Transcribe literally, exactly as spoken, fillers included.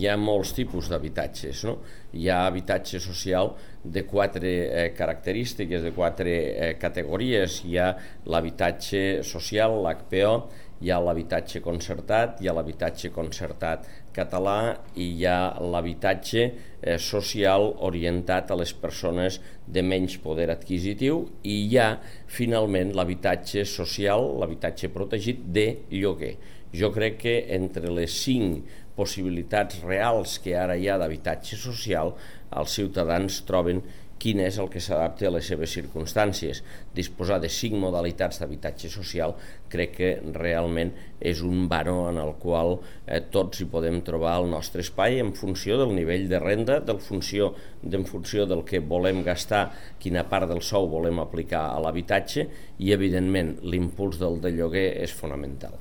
hi ha molts tipus d'habitatges, no? Hi ha habitatge social de quatre eh, característiques, de quatre eh, categories. Hi ha l'habitatge social, l'H P O, hi ha l'habitatge concertat, hi ha l'habitatge concertat català i hi ha l'habitatge eh, social orientat a les persones de menys poder adquisitiu i hi ha finalment l'habitatge social, l'habitatge protegit de lloguer. Jo crec que entre les cinc possibilitats reals que ara hi ha d'habitatge social, els ciutadans troben quin és el que s'adapta a les seves circumstàncies. Disposar de cinc modalitats d'habitatge social crec que realment és un baró en el qual eh, tots hi podem trobar el nostre espai en funció del nivell de renda, del funció, en funció del que volem gastar, quina part del sou volem aplicar a l'habitatge i, evidentment, l'impuls del de lloguer és fonamental.